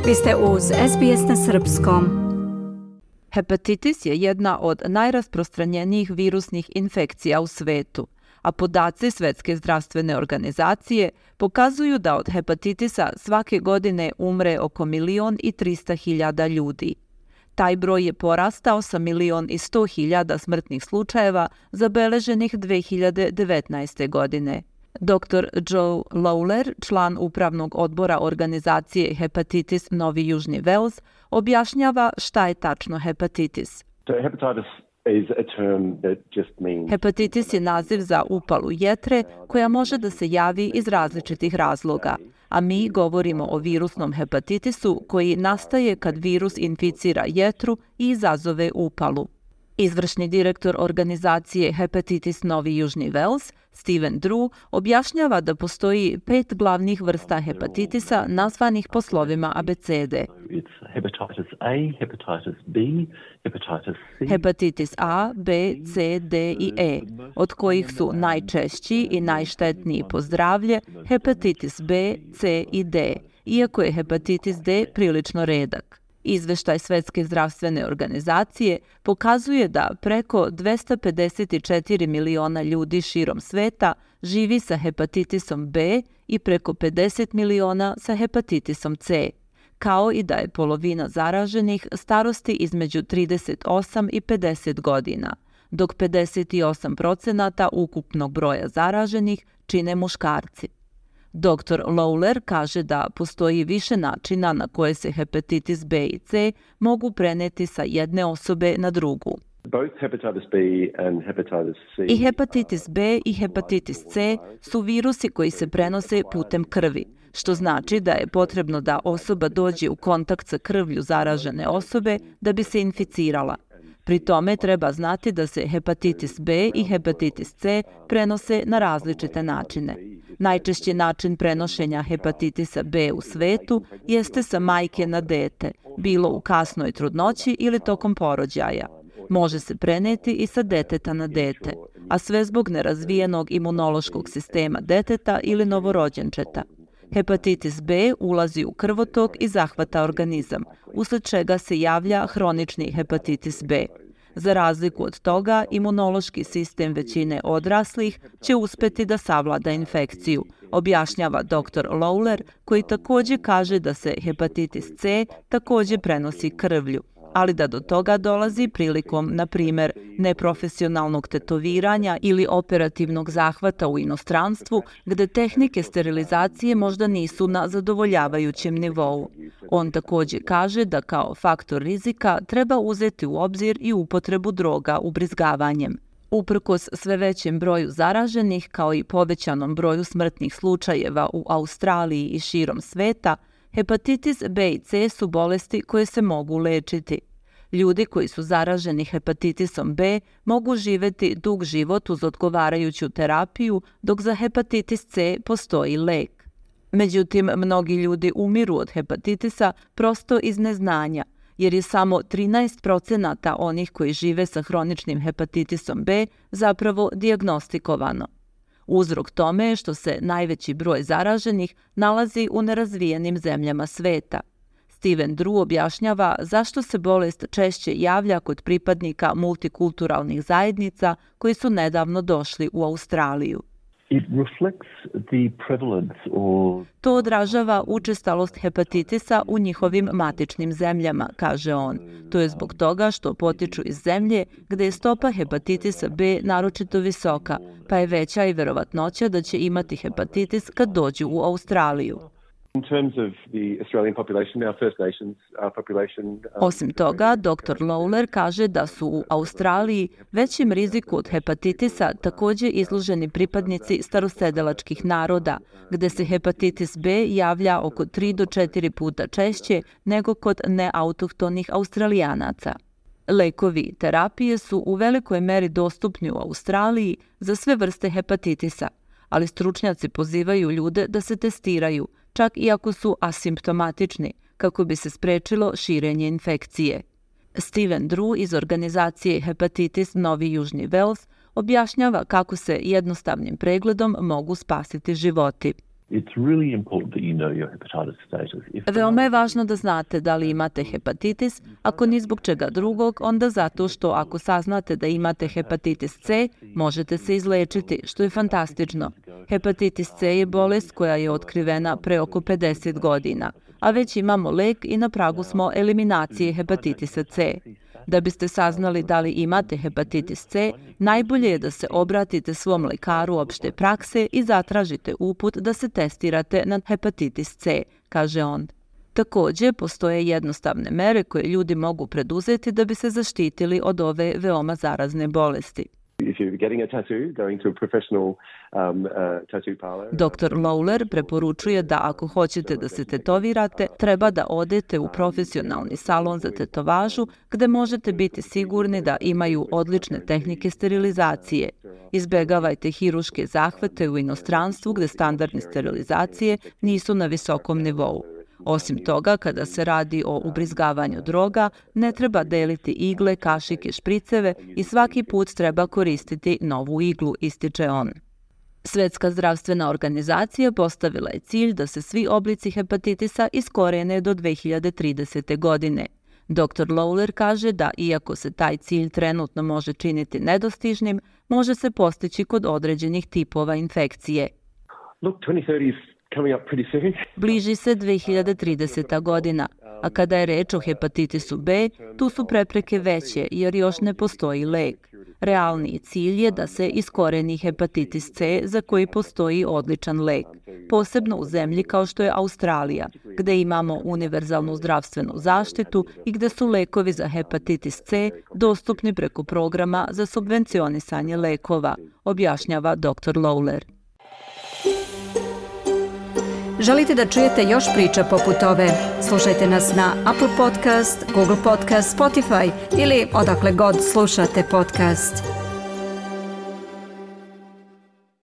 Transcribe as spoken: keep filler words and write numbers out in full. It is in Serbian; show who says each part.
Speaker 1: Vi ste uz S B S na srpskom.
Speaker 2: Hepatitis je jedna od najrasprostranjenijih virusnih infekcija u svetu, a podaci Svetske zdravstvene organizacije pokazuju da od hepatitisa svake godine umre oko milion i trista hiljada ljudi. Taj broj je porastao sa milion i sto hiljada smrtnih slučajeva zabeleženih dve hiljade devetnaeste. godine. doktor Joe Lawler, član upravnog odbora organizacije Hepatitis Novi Južni Vels, objašnjava šta je tačno hepatitis. Hepatitis je naziv za upalu jetre koja može da se javi iz različitih razloga, a mi govorimo o virusnom hepatitisu koji nastaje kad virus inficira jetru i izazove upalu. Izvršni direktor organizacije Hepatitis Novi Južni Vels, Steven Drew, objašnjava da postoji pet glavnih vrsta hepatitisa nazvanih po slovima abecede. Hepatitis A, B, C, D i E, od kojih su najčešći i najštetniji po zdravlje hepatitis B, C i D, iako je hepatitis D prilično redak. Izveštaj Svetske zdravstvene organizacije pokazuje da preko dvesta pedeset četiri miliona ljudi širom sveta živi sa hepatitisom B i preko pedeset miliona sa hepatitisom C, kao i da je polovina zaraženih starosti između trideset osam i pedeset godina, dok pedeset osam procenata ukupnog broja zaraženih čine muškarci. doktor Lawler kaže da postoji više načina na koje se hepatitis B i C mogu preneti sa jedne osobe na drugu. I hepatitis B i hepatitis C su virusi koji se prenose putem krvi, što znači da je potrebno da osoba dođe u kontakt sa krvlju zaražene osobe da bi se inficirala. Pri tome treba znati da se hepatitis B i hepatitis C prenose na različite načine. Najčešći način prenošenja hepatitisa B u svetu jeste sa majke na dete, bilo u kasnoj trudnoći ili tokom porođaja. Može se preneti i sa deteta na dete, a sve zbog nerazvijenog imunološkog sistema deteta ili novorođenčeta. Hepatitis B ulazi u krvotok i zahvata organizam, usled čega se javlja hronični hepatitis B. Za razliku od toga, imunološki sistem većine odraslih će uspeti da savlada infekciju, objašnjava doktor Lawler, koji također kaže da se hepatitis C također prenosi krvlju, ali da do toga dolazi prilikom, na primjer, neprofesionalnog tetoviranja ili operativnog zahvata u inostranstvu, gde tehnike sterilizacije možda nisu na zadovoljavajućem nivou. On također kaže da kao faktor rizika treba uzeti u obzir i upotrebu droga ubrizgavanjem. Uprkos sve većem broju zaraženih, kao i povećanom broju smrtnih slučajeva u Australiji i širom sveta, hepatitis B i C su bolesti koje se mogu lečiti. Ljudi koji su zaraženi hepatitisom B mogu živjeti dug život uz odgovarajuću terapiju, dok za hepatitis C postoji lek. Međutim, mnogi ljudi umiru od hepatitisa prosto iz neznanja, jer je samo trinaest procenata onih koji žive sa hroničnim hepatitisom B zapravo dijagnostikovano. Uzrok tome je što se najveći broj zaraženih nalazi u nerazvijenim zemljama sveta. Steven Drew objašnjava zašto se bolest češće javlja kod pripadnika multikulturalnih zajednica koji su nedavno došli u Australiju. To odražava učestalost hepatitisa u njihovim matičnim zemljama, kaže on. To je zbog toga što potiču iz zemlje gde je stopa hepatitisa B naročito visoka, pa je veća i verovatnoća da će imati hepatitis kad dođu u Australiju. Osim toga, doktor Lawler kaže da su u Australiji većem riziku od hepatitisa također izloženi pripadnici starosedelačkih naroda, gde se hepatitis B javlja oko tri do četiri puta češće nego kod neautohtonih Australijanaca. Lekovi i terapije su u velikoj meri dostupni u Australiji za sve vrste hepatitisa, ali stručnjaci pozivaju ljude da se testiraju, čak i ako su asimptomatični, kako bi se sprečilo širenje infekcije. Steven Drew iz organizacije Hepatitis Novi Južni Vels objašnjava kako se jednostavnim pregledom mogu spasiti životi. Veoma je važno da znate da li imate hepatitis, ako ni zbog čega drugog, onda zato što ako saznate da imate hepatitis C, možete se izlečiti, što je fantastično. Hepatitis C je bolest koja je otkrivena pre oko pedeset godina, a već imamo lek i na pragu smo eliminacije hepatitisa C. Da biste saznali da li imate hepatitis C, najbolje je da se obratite svom lekaru opšte prakse i zatražite uput da se testirate na hepatitis C, kaže on. Takođe, postoje jednostavne mere koje ljudi mogu preduzeti da bi se zaštitili od ove veoma zarazne bolesti. doktor Lawler preporučuje da ako hoćete da se tetovirate, treba da odete u profesionalni salon za tetovažu gde možete biti sigurni da imaju odlične tehnike sterilizacije. Izbegavajte hiruške zahvate u inostranstvu gde standardne sterilizacije nisu na visokom nivou. Osim toga, kada se radi o ubrizgavanju droga, ne treba deliti igle, kašike, špriceve i svaki put treba koristiti novu iglu, ističe on. Svetska zdravstvena organizacija postavila je cilj da se svi oblici hepatitisa iskorene do dve hiljade tridesete. godine. doktor Lawler kaže da iako se taj cilj trenutno može činiti nedostižnim, može se postići kod određenih tipova infekcije. Bliži se dve hiljade trideseta. godina, a kada je reč o hepatitisu B, tu su prepreke veće jer još ne postoji lek. Realniji cilj je da se iskoreni hepatitis C za koji postoji odličan lek, posebno u zemlji kao što je Australija, gde imamo univerzalnu zdravstvenu zaštitu i gde su lekovi za hepatitis C dostupni preko programa za subvencionisanje lekova, objašnjava doktor Lawler.
Speaker 1: Želite da čujete još priča poput ove? Slušajte nas na Apple Podcast, Google Podcast, Spotify ili odakle god slušate podcast.